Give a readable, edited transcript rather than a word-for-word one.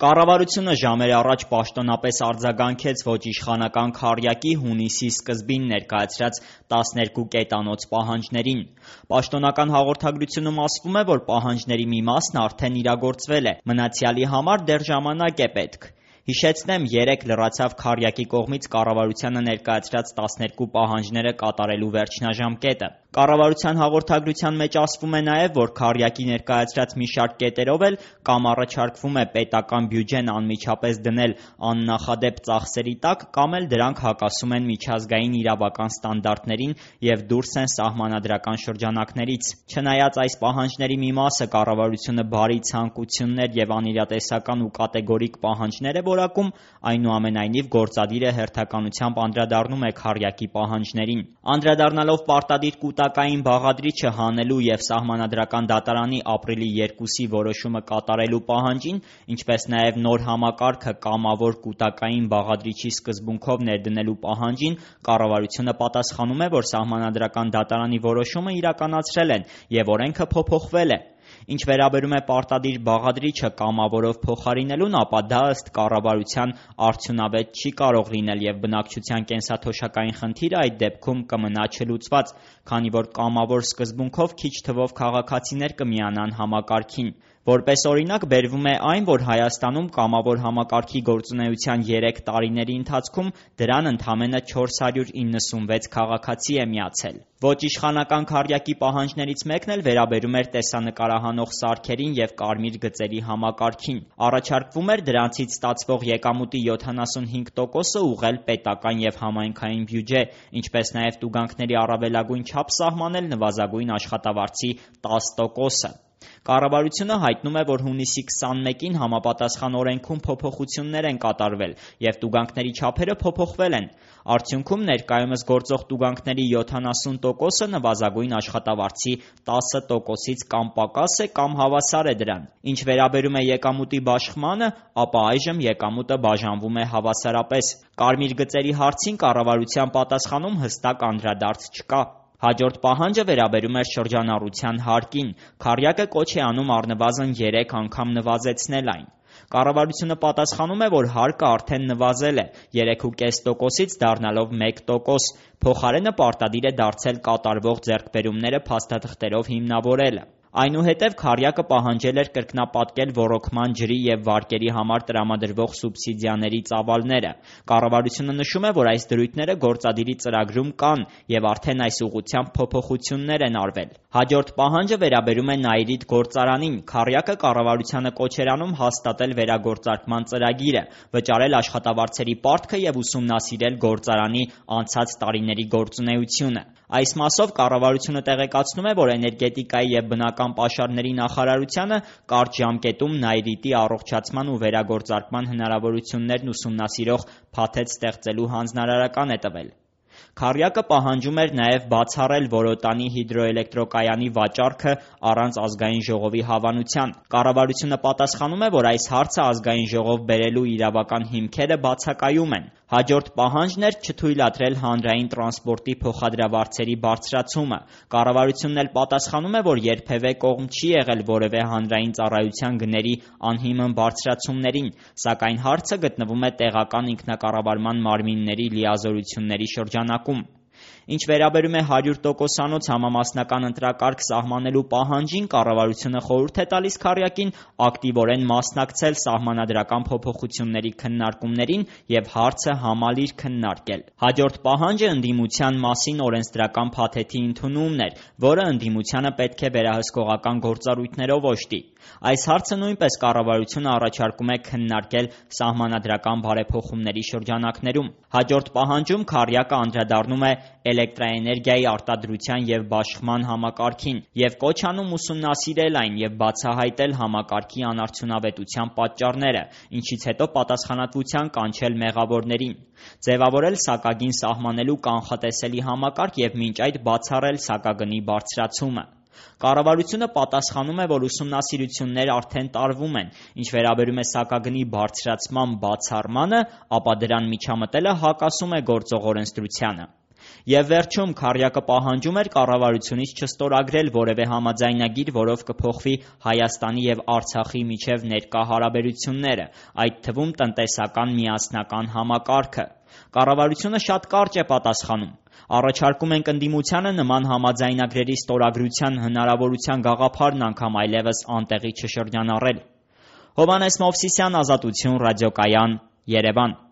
Կառավարությունը ժամեր առաջ պաշտոնապես արձագանքեց ոչ իշխանական քառյակի հունիսի սկզբին ներկայացրած 12 կետանոց պահանջներին։ Պաշտոնական հաղորդագրությունում ասվում է, որ պահանջների մի մասն արդեն իրագործվել է, մնացյալի համար դեռ ժամանակ է պետք։ Հիշեցնեմ, երեկ լրացավ քառյակի կողմից կառավարությանը ներկայացրած 12 պահանջները կատարելու վերջնաժամկետը։ Կառավարության հաղորդագրության մեջ ասվում է նաև, որ քառյակի ներկայացրած մի շարք կետերով էլ կամ առաջարկվում է պետական բյուջեն անմիջապես դնել աննախադեպ ծախսերի տակ, կամ էլ դրանք հակասում են միջազգային իրավական ստանդարտներին եւ դուրս են սահմանադրական շրջանակներից։ Չնայած այս պահանջների մի մասը կառավարությունը բարի ցանկություններ եւ անիրատեսական ու կատեգորիկ պահանջներ է որակում, այնուամենայնիվ գործադիրը հերթականությամբ անդրադառնում է քառյակի պահանջներին։ Անդրադառնալով պարտադիր կൂട്ടակային բաղադրիչը հանելու եւ սահմանադրական դատարանի ապրիլի 2-ի որոշումը կատարելու պահանջին, ինչպես նաև նոր համակարգը կամավոր կൂട്ടակային բաղադրիչի սկզբունքով ներդնելու պահանջին, կառավարությունը պատասխանում է, որ սահմանադրական դատարանի որոշումը իրականացրել են եւ օրենքը փոփոխվել է։ Ինչ վերաբերում է պարտադիր բաղադրիչը կամավորով փոխարինելուն, ապա դա ըստ կառավարության արդյունավետ չի կարող լինել եւ բնակչության կենսաթոշակային խնդիրը այդ դեպքում կմնա չլուծված, քանի որ կամավոր սկզբունքով քիչ թվով քաղաքացիներ կմիանան համակարգին։ Որպես օրինակ բերվում է այն, որ Հայաստանում կամավոր համակարգի գործունեության 3 տարիների ընթացքում դրան ընդամենը 496 քաղաքացի է միացել։ Ոչ իշխանական քառյակի պահանջներից մեկն էլ վերաբերում էր տեսանկարահանող սարքերին եւ կարմիր գծերի համակարգին։ Առաջարկվում էր դրանցից ստացվող եկամուտի 75%-ը ուղղել պետական եւ համայնքային բյուջե, ինչպես նաեւ տուգանքների առավելագույն չափ սահմանել նվազագույն աշխատավարձի 10%-ը։ Կառավարությունը հայտնում է, որ հունիսի 21-ին համապատասխան օրենքում փոփոխություններ են կատարվել եւ տուգանքների չափերը փոփոխվել են։ Արդյունքում ներկայումս գործող տուգանքների 70%-ը նվազագույն աշխատավարձի 10%-ից կամ պակաս է, կամ հավասար է դրան։ Ինչ վերաբերում է եկամուտի բաշխմանը, ապա այժմ եկամուտը բաժանվում է հավասարապես։ Կարմիր գծերի հարցին կառավարության պատասխանում հստակ անդրադարձ չկա։ Հաջորդ պահանջը վերաբերում էր շրջանառության հարկին։ Քառյակը կոչ է անում առնվազն 3 անգամ նվազեցնել այն։ Կառավարությունը պատասխանում է, որ հարկը արդեն նվազել է 3.5%-ից դառնալով 1%, փոխարենը պարտադիր է դարձել կատարվող ձեռքբերումները փաստաթղթերով հիմնավորելը։ Այնուհետև քառյակը պահանջել էր կրկնապատկել ոռոգման ջրի եւ վարկերի համար տրամադրվող սուբսիդիաների ծավալները։ Կառավարությունը նշում է, որ այս դրույթները գործադիրի ծրագրում կան եւ արդեն այս ուղղությամբ փոփոխություններ են արվել։ Հաջորդ պահանջը վերաբերում է Նաիրիդ գործարանին։ Քառյակը կառավարությանը կոչ էր անում հաստատել վերագործարկման ծրագիրը, վճարել աշխատավարձերի պարտքը եւ ուսումնասիրել գործարանի անցած տարիների գործունեությունը։ Այս մասով կառավարությունը տեղեկացնում է, որ էներգետիկայի եւ բնական պաշարների նախարարությանը կարճ ժամկետում Նաիրիտի առողջացման ու վերագործարկման հնարավորություններն ուսումնասիրող փաթեթ ստեղծելու հանձնարարական է տվել։ Քառյակը պահանջում էր նաև բացառել Որոտանի հիդրոէլեկտրակայանի վաճառքը առանց ազգային ժողովի հավանության։ Կառավարությունը պատասխանում է, որ այս հարցը ազգային ժողով բերելու իրավական հիմքերը բացակայում են։ Հաջորդ պահանջն էր չթույլատրել հանրային տրանսպորտի փոխադրավարձերի բարձրացումը։ Կառավարությունն էլ պատասխանում է, որ երբևէ կողմ չի եղել որևէ հանրային ծառայության գների անհիմն բարձրացումներին, սակայն հարցը գտնվում է տեղական ինքնակառավարման մարմինների լիազորությունների շրջանակում։ Ինչ վերաբերում է 100%-անոց համամասնական ընտրակարգ սահմանելու պահանջին, կառավարությունը խորհուրդ է տալիս քառյակին ակտիվորեն մասնակցել սահմանադրական փոփոխությունների քննարկումներին եւ հարցը համալիր քննարկել։ Հաջորդ պահանջը ընդդիմության մասին օրենսդրական փաթեթի ընդունումն էր, որը ընդդիմությանը պետք է վերահսկողական գործառույթներով օժտի։ Այս հարցը նույնպես կառավարությունը առաջարկում է քննարկել սահմանադրական բարեփոխումների շրջանակներում։ Հաջորդ պահանջում քառյակը անդրադառնում է էլեկտրաէներգիայի արտադրության եւ բաշխման համակարգին եւ կոչ անում ուսումնասիրել այն եւ բացահայտել համակարգի անարդյունավետության պատճառները, ինչից հետո պատասխանատվության կանչել մեղավորներին, ձևավորել սակագին սահմանելու կանխատեսելի համակարգ եւ մինչ այդ բացառել սակագնի բարձրացումը։ Կառավարությունը պատասխանում է, որ ուսումնասիրություններ արդեն տարվում են։ Ինչ վերաբերում է սակագնի բարձրացման բացառմանը, ապա դրան միջամտելը հակասում է գործող օրենսդրությանը։ Եվ վերջում քառյակը պահանջում էր կառավարությունից չստորագրել որևէ համաձայնագիր, որով կփոխվի Հայաստանի եւ Արցախի միջև ներկա հարաբերությունները, այդ թվում տնտեսական միասնական համակարգը։ Կառավարությունը շատ կարճ է պատասխանում. առաջարկում ենք ընդդիմությանը նման համաձայնագրերի ստորագրության հնարավորության գաղափարն անգամ այլևս անտեղի չշրջանառել։ Հովհաննես Մովսիսյան, Ազատություն, ռադիոկայան, Երևան։